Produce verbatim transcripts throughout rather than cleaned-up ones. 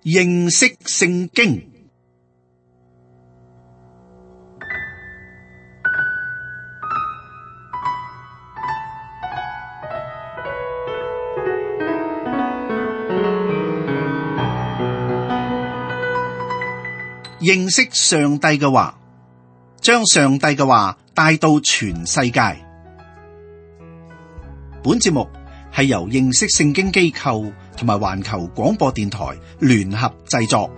認識聖經。認識上帝嘅話，將上帝嘅話帶到全世界。本節目係由認識聖經機構同埋環球廣播電台聯合製作。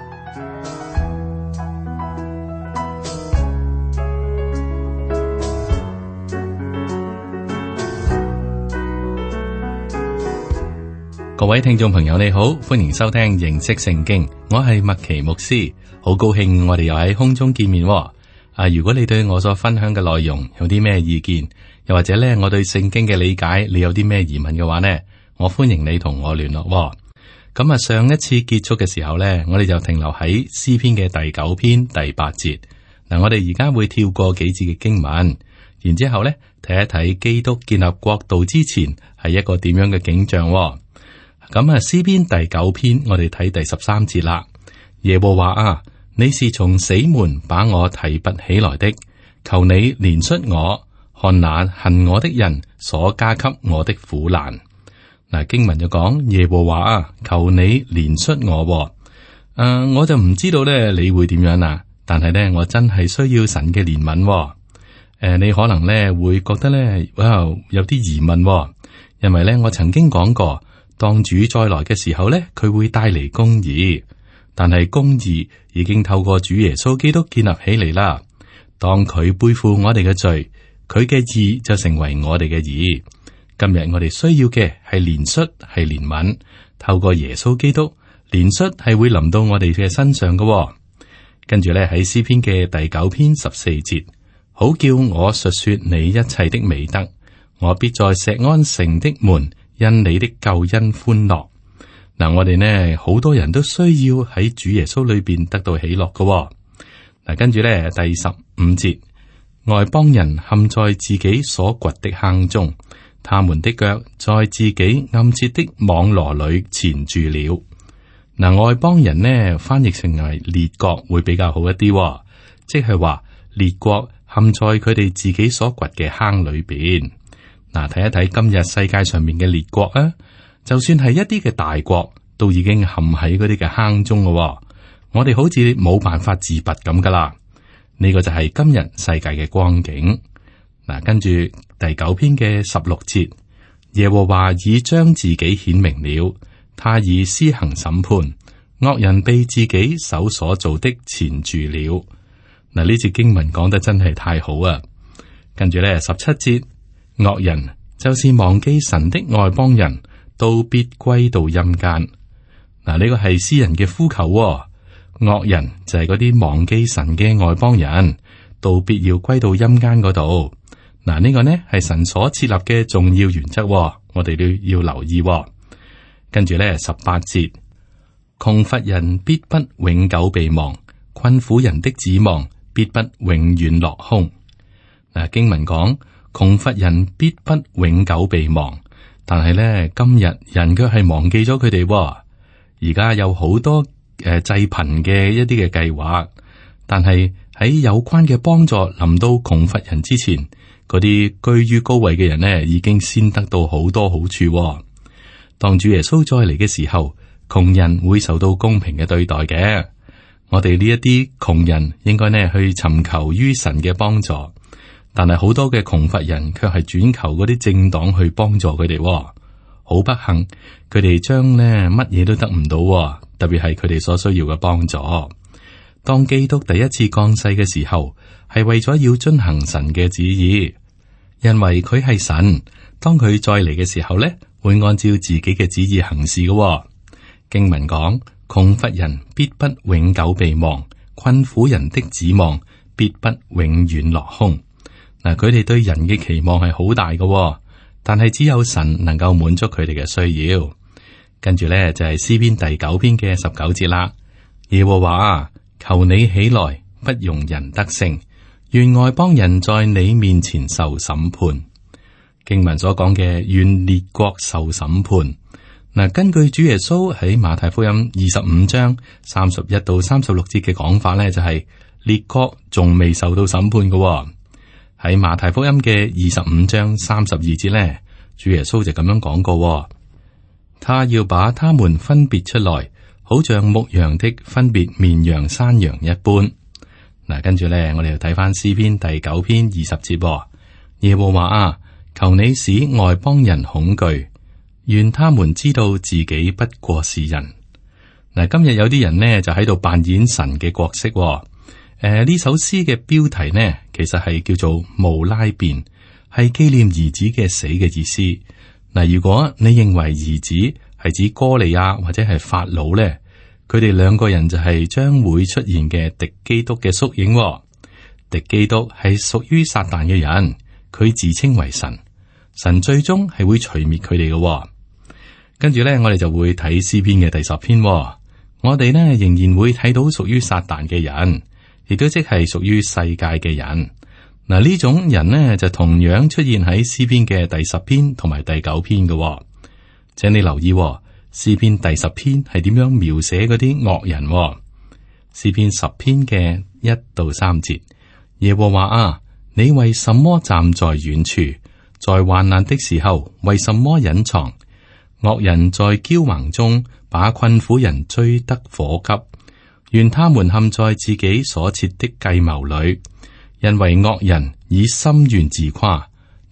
各位聽眾朋友你好，歡迎收聽認識聖經，我係麥奇牧師，好高興我哋又喺空中見面。啊，如果你對我所分享嘅內容有啲咩意見，又或者咧我對聖經嘅理解你有啲咩疑問嘅話呢，我歡迎你同我聯絡。咁啊，上一次結束嘅時候呢，我哋就停留喺詩篇嘅第九篇第八節。嗱，我哋而家會跳過幾節嘅經文，然之後咧睇一睇基督建立國度之前係一個點樣嘅景象。咁啊，詩篇第九篇，我哋睇第十三節啦。耶和華啊，你是從死門把我提拔起來的，求你憐恤我，看那恨我的人所加給我的苦難。嗱，經文就講耶和華啊，求你憐恤我。誒、呃，我就唔知道咧，你會點樣啊？但係咧，我真係需要神嘅憐憫。誒、呃，你可能咧會覺得咧，哇，有啲疑問，因為咧我曾經講過。當主再來嘅時候呢，佢會帶嚟公義，但係公義已經透過主耶穌基督建立起嚟啦。當佢背負我哋嘅罪，佢嘅義就成為我哋嘅義。今日我哋需要嘅係憐恤，係憐憫，透過耶穌基督，憐恤係會臨到我哋嘅身上嘅。跟住咧喺詩篇嘅第九篇十四節，好叫我述說你一切的美德，我必在錫安城的門。因你的救恩歡樂。嗱，我哋呢好多人都需要喺主耶穌裏邊得到喜樂嘅。嗱，跟住咧第十五節，外邦人陷在自己所掘的坑中，他們的腳在自己暗設的網羅裏纏住了。嗱，外邦人呢翻譯成為列國會比較好一啲，即係話列國陷在佢哋自己所掘嘅坑裏邊。嗱，睇一睇今日世界上面嘅列國啊，就算係一啲嘅大國，都已經陷喺嗰啲嘅坑中咯。我哋好似冇辦法自拔咁噶啦。呢個就係今日世界嘅光景。嗱，跟住第九篇嘅十六節，耶和華已將自己顯明了，他已施行審判，惡人被自己手所做的纏住了。嗱，呢節經文講得真係太好啊！跟住咧十七節。惡人就是忘記神的外邦人，都必歸到陰間。嗱，呢個係詩人嘅呼求喎。惡人就係嗰啲忘記神嘅外邦人，都必要歸到陰間嗰度。嗱，呢個呢係神所設立嘅重要原則喎，我哋都要留意喎。跟住咧十八節，窮乏人必不永久被忘，困苦人的指望必不永遠落空。嗱，經文講。窮乏人必不永久被忘，但係咧今日人卻係忘記咗佢哋。而家有好多誒濟貧嘅一啲嘅計劃，但係喺有關嘅幫助臨到窮乏人之前，嗰啲居於高位嘅人呢已經先得到好多好處。當主耶穌再嚟嘅時候，窮人會受到公平嘅對待嘅。我哋呢一啲窮人應該呢去尋求於神嘅幫助。但係好多嘅窮乏人卻係轉求嗰啲政黨去幫助佢哋，好不幸，佢哋將呢乜嘢都得唔到，特別係佢哋所需要嘅幫助。當基督第一次降世嘅時候，係為咗要遵行神嘅旨意，因為佢係神。當佢再嚟嘅時候呢，會按照自己嘅旨意行事嘅。經文講，窮乏人必不永久被忘，困苦人的指望必不永遠落空。嗱，佢哋對人嘅期望係好大嘅，但係只有神能夠滿足佢哋嘅需要。跟住咧就係詩篇第九篇嘅十九節啦。耶和華啊，求你起來，不容人得勝，願外邦人在你面前受審判。經文所講嘅願列國受審判，嗱，根據主耶穌喺馬太福音二十五章三十一到三十六節嘅講法咧，就係、是、列國仲未受到審判嘅、哦。喺馬太福音嘅二十五章三十二節咧，主耶穌就咁樣講過、哦：他要把他們分別出來，好像牧羊的分別綿羊山羊一般。嗱，跟住咧，我哋又睇翻詩篇第九篇二十節、哦：耶和華啊，求你使外邦人恐懼。願他們知道自己不過是人。嗱，今日有啲人呢就喺度扮演神嘅角色、哦。誒、呃，呢首詩嘅標題呢，其實係叫做無拉便，係紀念兒子嘅死嘅意思。嗱，如果你認為兒子係指哥利亞或者係法老咧，佢哋兩個人就係將會出現嘅敵基督嘅縮影、哦。敵基督係屬於撒旦嘅人，佢自稱為神，神最終係會除滅佢哋嘅。跟住咧，我哋就會睇詩篇嘅第十篇、哦。我哋呢仍然會睇到屬於撒旦嘅人，亦都即係屬於世界嘅人。嗱，呢種人呢就同樣出現喺詩篇嘅第十篇同埋第九篇嘅、哦。請你留意、哦，詩篇第十篇係點樣描寫嗰啲惡人、哦。詩篇十篇嘅一到三節，耶和華啊，你為什麼站在遠處？在患難的時候，為什麼隱藏？惡人在驕橫中，把困苦人追得火急，願他們陷在自己所設的計謀裏，因為惡人以心願自誇，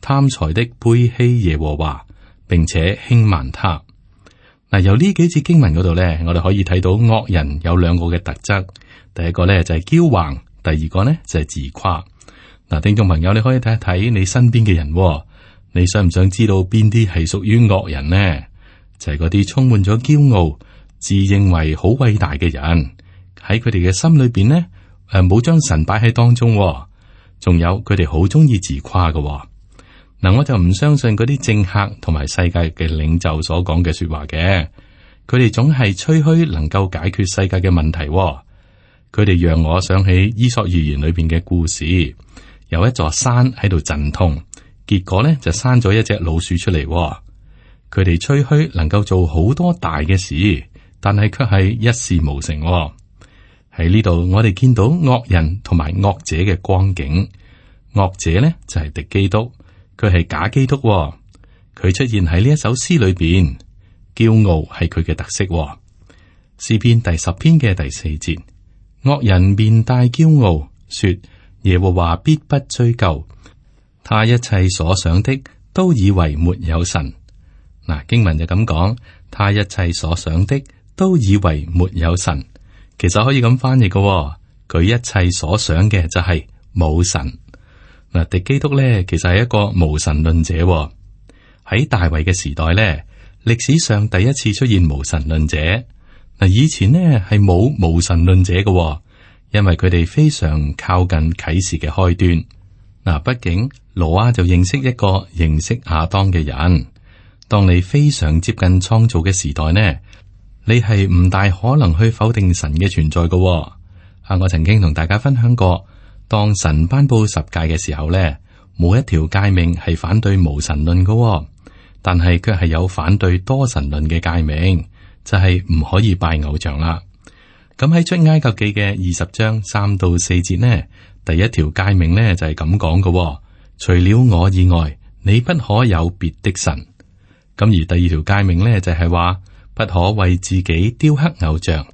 貪財的背棄耶和華，並且輕慢他。嗱，由呢幾節經文嗰度咧，我哋可以睇到惡人有兩個嘅特質，第一個咧就係驕橫，第二個咧就係自誇。嗱，聽眾朋友，你可以睇一睇你身邊嘅人，你想唔想知道邊啲係屬於惡人呢？就係嗰啲充滿咗驕傲、自認為好偉大嘅人，喺佢哋嘅心裏邊呢，誒冇將神擺喺當中，仲有佢哋好中意自誇嘅。嗱，我就唔相信嗰啲政客同埋世界嘅領袖所講嘅說話嘅，佢哋總係吹噓能夠解決世界嘅問題。佢哋讓我想起伊索寓言裏邊嘅故事，有一座山喺度陣痛，結果呢就生咗一隻老鼠出嚟。佢哋吹噓能夠做好多大嘅事，但係卻係一事無成。喺呢度，我哋見到惡人同埋惡者嘅光景。惡者呢就係敵基督，佢係假基督。佢出現喺呢一首詩裏邊，驕傲係佢嘅特色。詩篇第十篇嘅第四節，惡人面帶驕傲，說耶和華必不追究，他一切所想的都以為沒有神。嗱，經文就咁講，他一切所想的都以為沒有神，其實可以咁翻譯嘅，佢一切所想嘅就係冇神。嗱，敵基督咧，其實係一個無神論者。喺大衛嘅時代咧，歷史上第一次出現無神論者。嗱，以前呢係冇無神論者嘅，因為佢哋非常靠近啟示嘅開端。嗱，畢竟挪亞就認識一個認識亞當嘅人。當你非常接近創造嘅時代呢，你係唔大可能去否定神嘅存在嘅。啊，我曾經同大家分享過，當神頒布十誡嘅時候呢，冇一條誡命係反對無神論嘅，但係卻係有反對多神論嘅誡命，就係唔可以拜偶像啦。咁喺出埃及記嘅二十章三到四節呢，第一條誡命呢就係咁講嘅：除了我以外，你不可有別的神。咁而第二條誡命呢，就係話不可為自己雕刻偶像，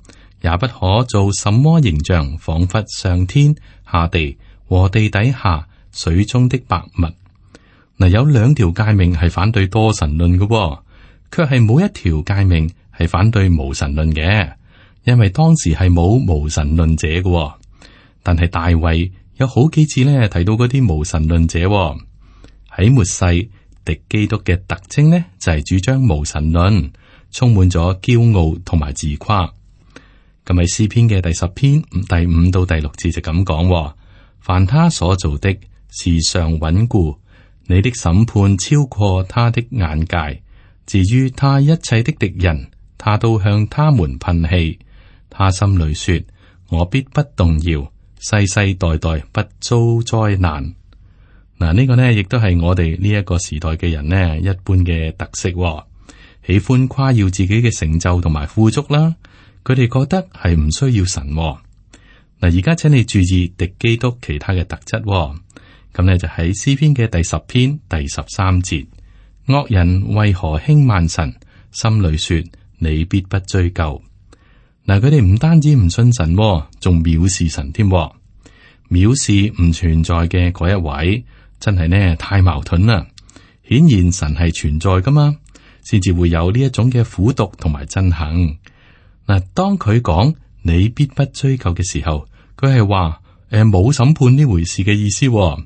也不可做什麼形象，仿佛上天下地和地底下水中的百物。嗱，有兩條誡命係反對多神論嘅，卻係冇一條誡命係反對無神論嘅，因為當時係冇無神論者嘅。但係大衛有好幾次呢提到嗰啲無神論者喺末世。敵基督嘅特徵呢，就係、是、主張無神論，充滿咗驕傲同埋自誇。咁喺詩篇嘅第十篇第五到第六節就咁講：凡他所做的，時常穩固，你的審判超過他的眼界。至於他一切的敵人，他都向他們噴氣。他心裏說：我必不動搖，世世代代不遭災難。嗱，呢個呢亦都係我哋呢一個時代嘅人呢一般嘅特色。喜歡誇耀自己嘅成就同埋富足啦。佢哋覺得係唔需要神喎。嗱，而家請你注意敵基督其他嘅特質喎。咁呢就喺詩篇嘅第十篇第十三節，惡人為何輕慢神？心裏說你必不追究。嗱，佢哋唔單止唔信神喎，仲藐視神添。藐視唔存在嘅嗰一位，真係呢太矛盾啦。顯然神係存在噶嘛，先至會有呢一種嘅苦毒同埋憎恨。嗱，當佢講你必不追究嘅時候，佢係話誒冇審判呢回事嘅意思喎。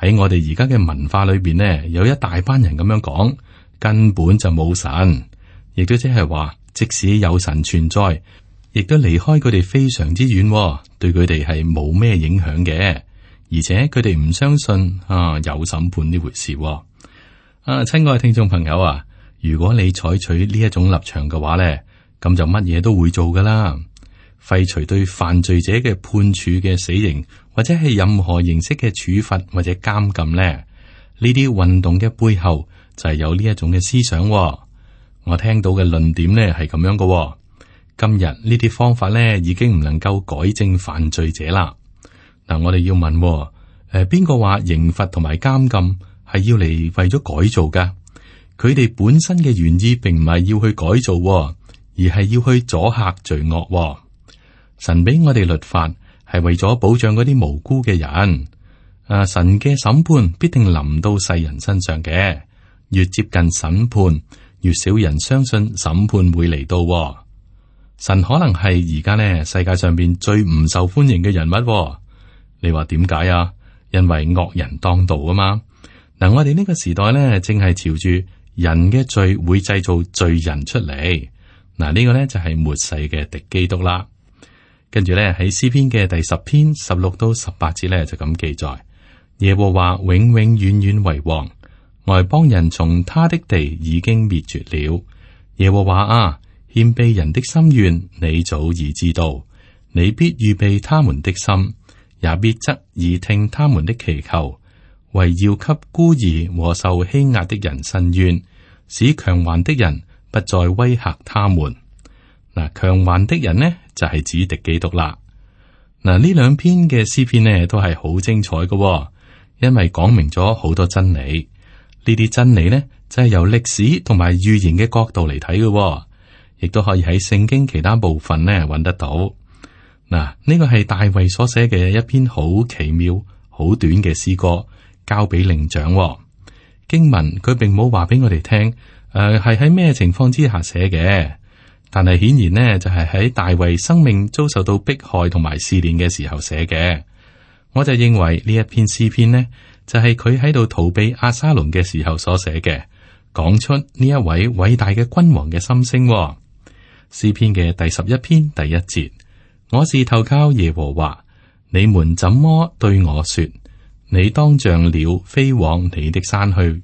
喺我哋而家嘅文化裏邊呢，有一大班人咁樣講，根本就冇神，亦都即係話，即使有神存在，亦都離開佢哋非常之遠喎，對佢哋係冇咩影響嘅，而且佢哋唔相信啊有審判呢回事喎。啊，親愛嘅聽眾朋友啊，如果你採取呢一種立場嘅話咧，咁就乜嘢都會做噶啦。廢除對犯罪者嘅判處嘅死刑，或者係任何形式嘅處罰或者監禁咧，呢啲運動嘅背後就係有呢一種嘅思想喎。我聽到嘅論點咧係咁樣嘅喎。今日呢啲方法咧已經唔能夠改正犯罪者啦。嗱，我哋要問喎，誒邊個話刑罰同埋監禁係要嚟為咗改造噶？佢哋本身嘅原意並唔係要去改造喎，而係要去阻嚇罪惡喎。神俾我哋律法係為咗保障嗰啲無辜嘅人。啊，神嘅審判必定臨到世人身上嘅。越接近審判，越少人相信審判會嚟到喎。神可能係而家呢世界上邊最唔受歡迎嘅人物喎。你話點解啊？因為惡人當道啊嘛。嗱，我哋呢個時代呢，正係朝住人嘅罪會製造罪人出嚟。嗱，呢個呢就係末世嘅敵基督啦。跟住咧喺詩篇嘅第十篇十六到十八節咧就咁記載：耶和華永永遠遠為王，外邦人從他的地已經滅絕了。耶和華啊，謙卑人的心願你早已知道，你必預備他們的心，也必側耳聽他們的祈求，為要給孤兒和受欺壓的人伸冤，使強橫的人不再威嚇他們。嗱，強橫的人呢就係指敵基督啦。嗱，呢兩篇嘅詩篇呢都係好精彩嘅，因為講明咗好多真理。呢啲真理呢就係由歷史同埋預言嘅角度嚟睇嘅，亦都可以喺聖經其他部分呢揾得到。嗱，呢個係大衛所寫嘅一篇好奇妙、好短嘅詩歌，交俾伶長。經文佢並冇話俾我哋聽，誒係喺咩情況之下寫嘅。但係顯然呢，就係喺大衛生命遭受到迫害同埋試煉嘅時候寫嘅。我就認為呢一篇詩篇呢，就係佢喺度逃避押沙龍嘅時候所寫嘅，講出呢一位偉大嘅君王嘅心聲。詩篇嘅第十一篇第一節：我是投靠耶和華，你們怎麼對我說？你當像鳥飛往你的山去。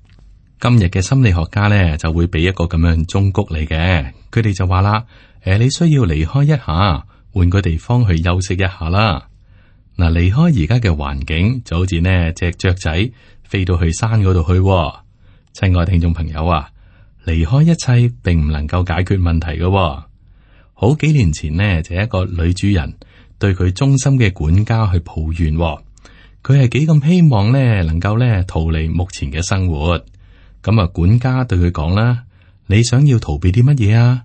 今日嘅心理學家呢，就會俾一個咁樣忠告你嘅。佢哋就話啦，誒，你需要離開一下，換個地方去休息一下啦。嗱，離開而家嘅環境，就好似呢隻雀仔飛到去山嗰度去。親愛聽眾朋友啊，離開一切並唔能夠解決問題嘅。好幾年前呢，就一個女主人對佢忠心嘅管家去抱怨，佢係幾咁希望呢能夠呢逃離目前嘅生活。咁啊，管家對佢講啦：你想要逃避啲乜嘢啊？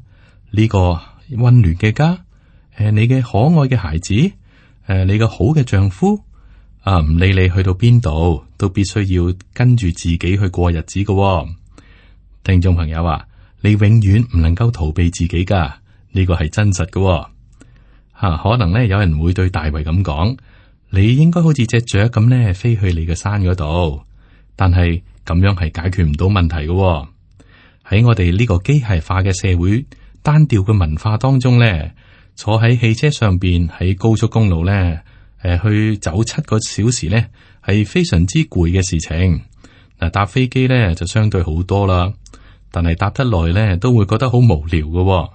呢個溫暖嘅家，誒，你嘅可愛嘅孩子，誒，你個好嘅丈夫，啊，唔理你去到邊度，都必須要跟住自己去過日子嘅。聽眾朋友啊，你永遠唔能夠逃避自己噶，呢個係真實嘅。吓，可能咧有人會對大衛咁講：你應該好似隻雀咁咧，飛去你嘅山嗰度。但係咁樣係解決唔到問題嘅喎。喺我哋呢個機械化嘅社會、單調嘅文化當中咧，坐喺汽車上邊喺高速公路咧，誒、呃、去走七個小時咧，係非常之攰嘅事情。嗱，搭飛機咧就相對好多啦，但係搭得耐咧都會覺得好無聊嘅喎，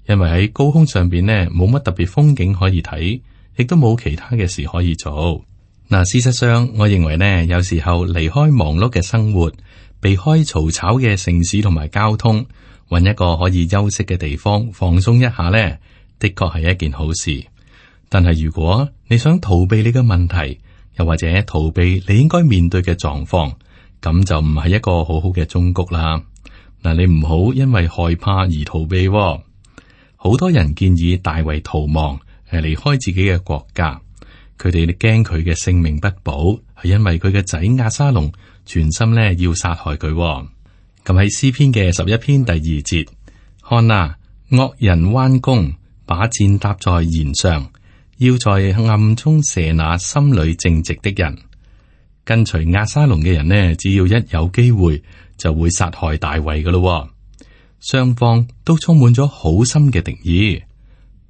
因為喺高空上邊咧冇乜特別風景可以睇，亦都冇其他嘅事可以做。嗱，事實上，我認為呢，有時候離開忙碌嘅生活，避開嘈吵嘅城市同埋交通，搵一個可以休息嘅地方放鬆一下呢，的確係一件好事。但係如果你想逃避你嘅問題，又或者逃避你應該面對嘅狀況，咁就唔係一個好好嘅忠告啦。嗱，你唔好因為害怕而逃避喎。好多人建議大衛逃亡，誒，離開自己嘅國家。佢哋驚佢嘅性命不保，係因為佢嘅仔押沙龍全心咧要殺害佢喎。咁喺詩篇嘅十一篇第二節，看啊，惡人彎弓，把箭搭在弦上，要在暗中射那心裏正直的人。跟隨押沙龍嘅人呢，只要一有機會就會殺害大衛噶咯。雙方都充滿咗好深嘅敵意。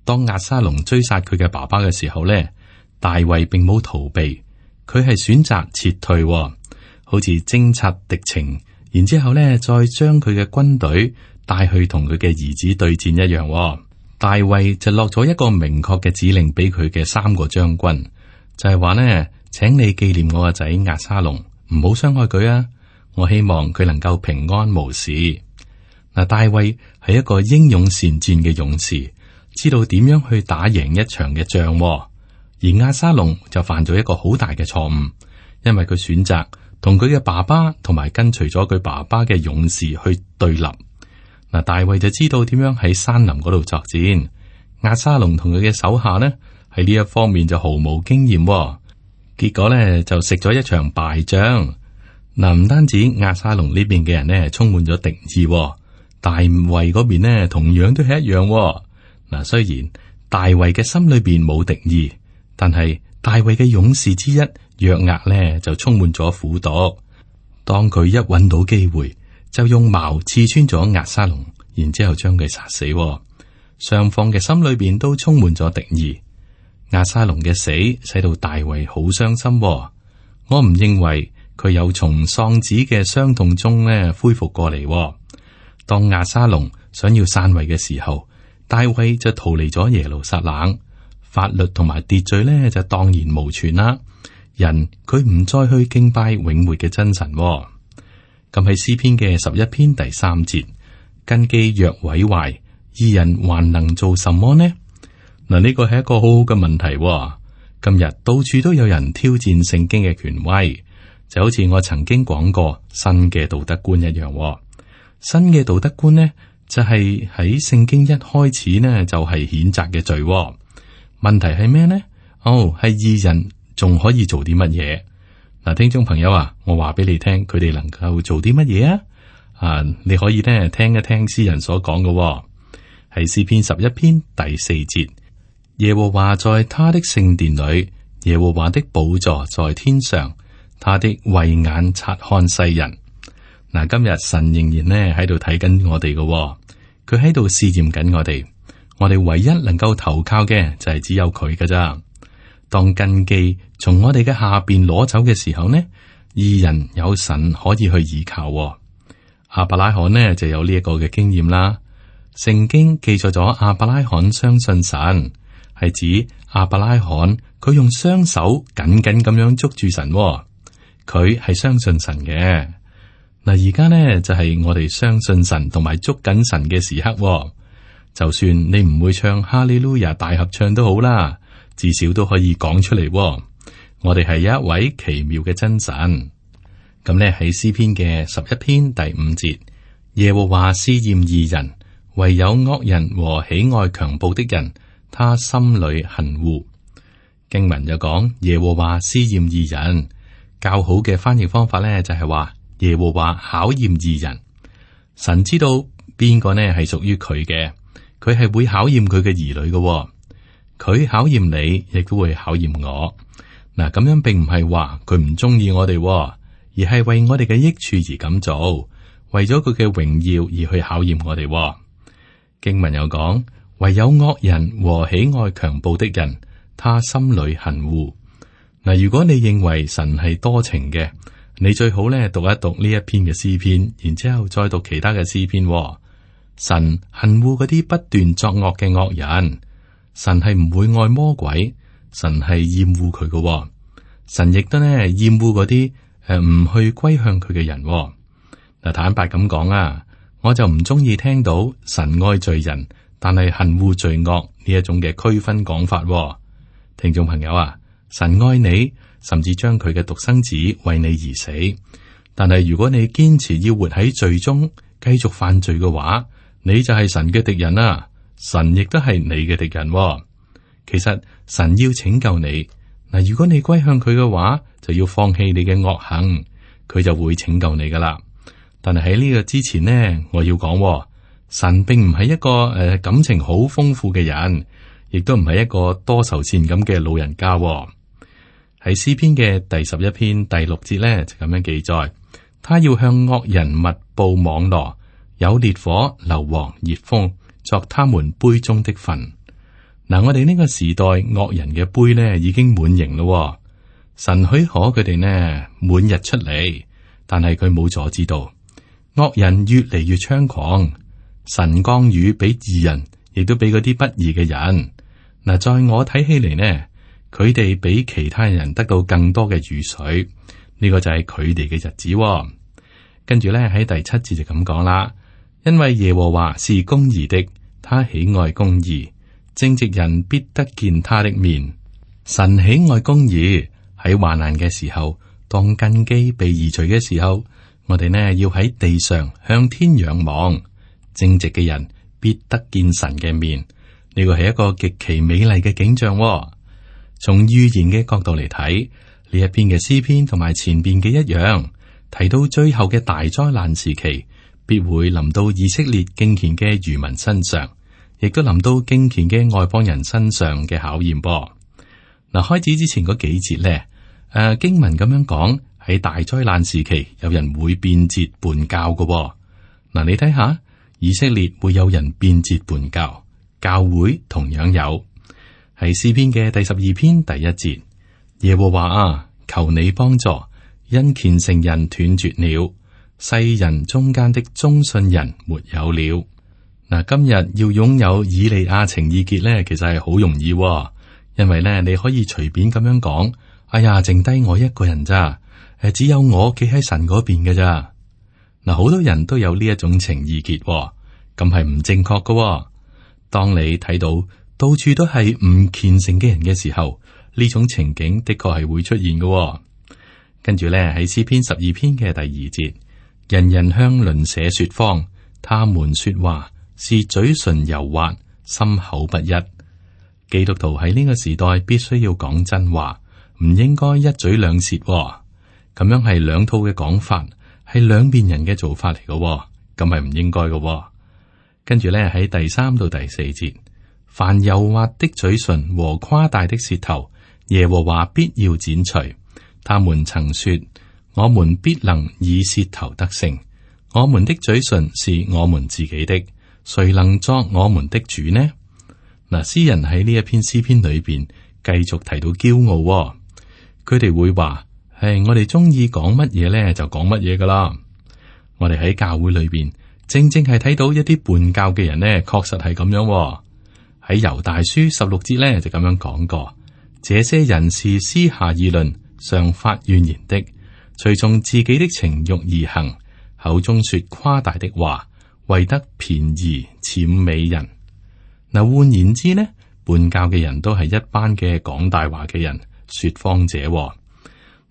當押沙龍追殺佢嘅爸爸嘅時候呢，大衛並冇逃避，佢係選擇撤退，好似偵察敵情，然之後咧再將佢嘅軍隊帶去同佢嘅兒子對戰一樣。大衛就落咗一個明確嘅指令俾佢嘅三個將軍，就係話呢，請你紀念我個仔押沙龍，唔好傷害佢啊！我希望佢能夠平安無事。嗱，大衛係一個英勇善戰嘅勇士，知道點樣去打贏一場嘅仗。而押沙龍就犯咗一個好大嘅錯誤，因為佢選擇同佢嘅爸爸同埋跟隨咗佢爸爸嘅勇士去對立。嗱，大衛就知道點樣喺山林嗰度作戰。押沙龍同佢嘅手下呢，喺呢一方面就毫無經驗，結果呢就食咗一場敗仗。嗱，唔單止押沙龍呢邊嘅人呢充滿咗敵意，大衛嗰邊呢同樣都係一樣。嗱，雖然大衛嘅心裏邊冇敵意，但係大衛嘅勇士之一約押呢就充滿咗苦毒。當佢一揾到機會，就用矛刺穿咗押沙龍，然之後將佢殺死。雙方嘅心裏邊都充滿咗敵意。押沙龍嘅死使到大衛好傷心。我唔認為佢有從喪子嘅傷痛中呢恢復過嚟。當押沙龍想要篡位嘅時候，大衛就逃離咗耶路撒冷，法律同埋秩序呢就蕩然無存啦。人佢唔再去敬拜永活嘅真神。咁喺詩篇嘅十一篇第三節，根基若毀壞，義人還能做什麼呢？嗱，呢個係一個好好嘅問題。今日到處都有人挑戰聖經嘅權威，就好似我曾經講過新嘅道德觀一樣。新嘅道德觀呢，就係喺聖經一開始呢，就係譴責嘅罪。問題係咩呢？哦，係義人仲可以做啲乜嘢？嗱，聽眾朋友啊，我話俾你聽，佢哋能夠做啲乜嘢啊？啊，你可以呢聽一聽詩人所講嘅，係詩篇十一篇第四節。耶和華在他的聖殿裏，耶和華的寶座在天上，他的慧眼察看世人。嗱，今日神仍然呢喺度睇緊我哋嘅，佢喺度試驗緊我哋。我哋唯一能夠投靠嘅就係只有佢㗎咋。當根基從我哋嘅下邊攞走嘅時候呢，義人有神可以去依靠。亞伯拉罕呢就有呢一個嘅經驗啦。聖經記載咗亞伯拉罕相信神，係指亞伯拉罕佢用雙手緊緊咁樣捉住神，佢係相信神嘅。嗱，而家呢就係我哋相信神同埋捉緊神嘅時刻。就算你唔會唱哈利路亞大合唱都好啦，至少都可以講出嚟。我哋係一位奇妙嘅真神。咁呢喺詩篇嘅十一篇第五節，耶和華試驗義人，唯有惡人和喜愛強暴的人，他心裏恨惡。經文就講耶和華試驗義人，較好嘅翻譯方法呢就係話耶和華考驗義人。神知道邊個呢係屬於佢嘅，佢係會考驗佢嘅兒女嘅。佢考驗你，亦都會考驗我。嗱，咁樣並唔係話佢唔中意我哋，而係為我哋嘅益處而咁做，為咗佢嘅榮耀而去考驗我哋。經文又講，唯有惡人和喜愛強暴的人，他心裏恨惡。嗱，如果你認為神係多情嘅，你最好咧讀一讀呢一篇嘅詩篇，然之後再讀其他嘅詩篇。神恨惡嗰啲不斷作惡嘅惡人，神係唔會愛魔鬼，神係厭惡佢嘅。神亦都咧厭惡嗰啲誒唔去歸向佢嘅人。嗱，坦白咁講啊，我就唔中意聽到神愛罪人，但係恨惡罪惡呢一種嘅區分講法。聽眾朋友啊，神愛你，甚至將佢嘅獨生子為你而死。但係如果你堅持要活喺罪中，繼續犯罪嘅話，你就係神嘅敵人啦。神亦都係你嘅敵人。其實神要拯救你嗱，如果你歸向佢嘅話，就要放棄你嘅惡行，佢就會拯救你噶啦。但係喺呢個之前呢，我要講，神並唔係一個誒、呃、感情好豐富嘅人，亦都唔係一個多愁善感嘅老人家。喺詩篇嘅第十一篇第六節呢，就咁樣記載，他要向惡人密布網羅，有烈火、硫磺、熱風作他們杯中的分。嗱，我哋呢個時代惡人嘅杯呢已經滿盈咯。神許可佢哋呢滿日出嚟，但係佢冇阻止到惡人越嚟越猖狂。神降雨俾義人，亦都俾嗰啲不義嘅人。嗱，在我睇起嚟呢，佢哋比其他人得到更多嘅雨水，呢、這個就係佢哋嘅日子。跟住咧喺第七節就咁講啦，因為耶和華是公義的，他喜愛公義，正直人必得見他的面。神喜愛公義，喺患難嘅時候，當根基被移除嘅時候，我哋呢要喺地上向天仰望，正直嘅人必得見神嘅面。呢個係一個極其美麗嘅景象。從預言嘅角度嚟睇，呢一篇嘅詩篇同埋前邊嘅一樣，提到最後嘅大災難時期，必會臨到以色列敬虔嘅餘民身上，亦都臨到敬虔嘅外邦人身上嘅考驗噃。嗱，開始之前嗰幾節咧，誒、啊、經文咁樣講，喺大災難時期，有人會變節叛教嘅。嗱，你睇下，以色列會有人變節叛教，教會同樣有。係詩篇嘅第十二篇第一節，耶和華啊，求你幫助，因虔誠人斷絕了，世人中間的忠信人沒有了。嗱，今日要擁有以利亞情意結咧，其實係好容易，因為咧你可以隨便咁樣講，哎呀，剩低我一個人咋，誒，只有我企喺神嗰邊嘅咋。嗱，好多人都有呢一種情意結，咁係唔正確噶。當你睇到到處都係唔虔誠嘅人嘅時候，呢種情景的確係會出現嘅。跟住咧喺詩篇十二篇嘅第二節，人人向鄰舍說謊，他們說話是嘴唇油滑，心口不一。基督徒喺呢個時代必須要講真話，唔應該一嘴兩舌。咁樣係兩套嘅講法，係兩邊人嘅做法嚟嘅，咁係唔應該嘅。跟住咧喺第三到第四節。凡油滑的嘴唇和誇大的舌頭，耶和華必要剪除。他們曾說：我們必能以舌頭得勝，我們的嘴唇是我們自己的，誰能作我們的主呢？嗱，詩人喺呢一篇詩篇裏邊繼續提到驕傲、哦，佢哋會話：係我哋中意講乜嘢咧，就講乜嘢噶啦。我哋喺教會裏邊正正係睇到一啲叛教嘅人呢，確實係咁樣、哦。喺猶大書十六節咧就咁樣講過，這些人是私下議論，常發怨言的，隨從自己的情欲而行，口中說誇大的話，為得便宜諂美人。嗱，換言之呢，叛教嘅人都係一班嘅講大話嘅人，說謊者。嗱，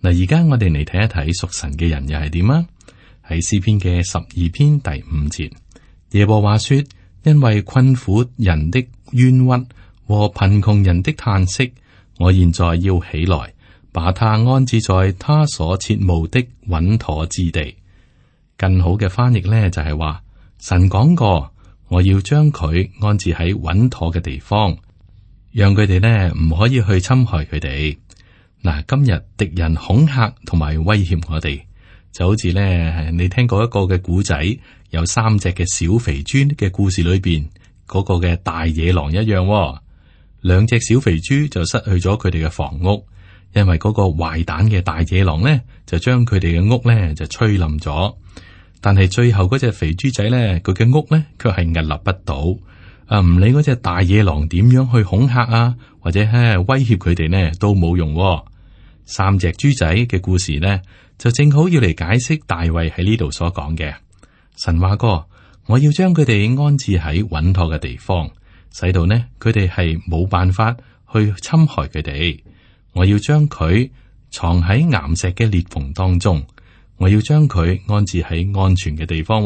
而家我哋嚟睇一睇屬神嘅人又係點啊？喺詩篇嘅十二篇第五節，耶和華說：因為困苦人的冤屈和貧窮人的嘆息，我現在要起來，把他安置在他所切慕的穩妥之地。更好嘅翻譯呢，就係話，神講過，我要將佢安置喺穩妥嘅地方，讓佢哋呢唔可以去侵害佢哋。嗱，今日敵人恐嚇同埋威脅我哋，就好似呢，你聽過一個嘅古仔，有三隻嘅小肥豬嘅故事裏邊。嗰個嘅大野狼一樣、哦，兩隻小肥豬就失去咗佢哋嘅房屋，因為嗰個壞蛋嘅大野狼呢，就將佢哋嘅屋呢就吹冧咗。但係最後嗰隻肥豬仔呢，佢嘅屋呢卻係屹立不倒。啊，唔理嗰隻大野狼點樣去恐嚇啊，或者係威脅佢哋呢，都冇用、哦。三隻豬仔嘅故事呢，就正好要嚟解釋大衛喺呢度所講嘅。神話過，我要將佢哋安置喺穩妥嘅地方，使到呢佢哋係冇辦法去侵害佢哋。我要將佢藏喺岩石嘅裂縫當中，我要將佢安置喺安全嘅地方。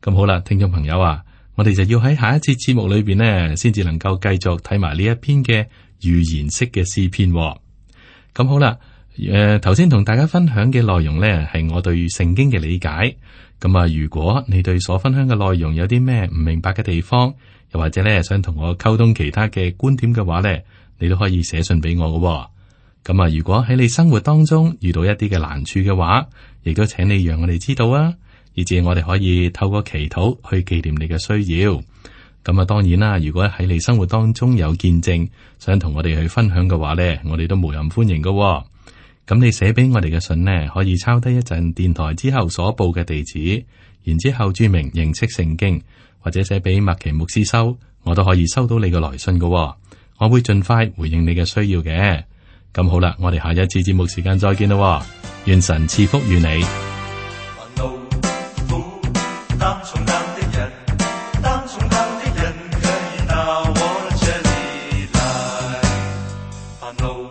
咁好啦，聽眾朋友啊，我哋就要喺下一節節目裏邊呢，先至能夠繼續睇埋呢一篇嘅預言式嘅詩篇。咁好啦，誒頭先同大家分享嘅內容呢，係我對聖經嘅理解。咁啊，如果你對所分享嘅內容有啲咩唔明白嘅地方，又或者咧想同我溝通其他嘅觀點嘅話呢，你都可以寫信俾我嘅。咁啊，如果喺你生活當中遇到一啲嘅難處嘅話，亦都請你讓我哋知道啊，以至我哋可以透過祈禱去紀念你嘅需要。咁啊，當然啦，如果喺你生活當中有見證，想同我哋去分享嘅話呢，我哋都無任歡迎嘅。咁你寫俾我哋嘅信呢，可以抄低一陣電台之後所報嘅地址，然之後注明認識聖經，或者寫俾麥奇牧師收，我都可以收到你嘅來信嘅。我會盡快回應你嘅需要嘅。咁好啦，我哋下一次節目時間再見啦。願神賜福與你。煩惱